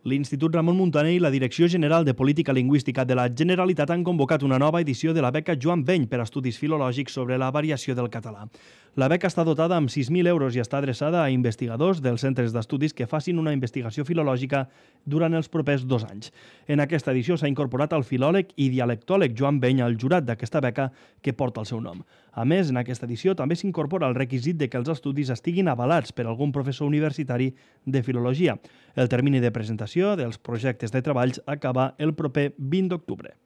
L'Institut Ramon Muntaner i la Direcció General de Política Lingüística de la Generalitat han convocat una nova edició de la beca Joan Beny per a estudis filològics sobre la variació del català. La beca està dotada amb 6.000 euros i està adreçada a investigadors dels centres d'estudis que facin una investigació filològica durant els propers 2 anys. En aquesta edició s'ha incorporat el filòleg i dialectòleg Joan Beny al jurat d'aquesta beca que porta el seu nom. A més, en aquesta edició també s'incorpora el requisit de que els estudis estiguin avalats per algun professor universitari de filologia. El termini de presentació dels projectes de treballs acaba el proper 20 d'octubre.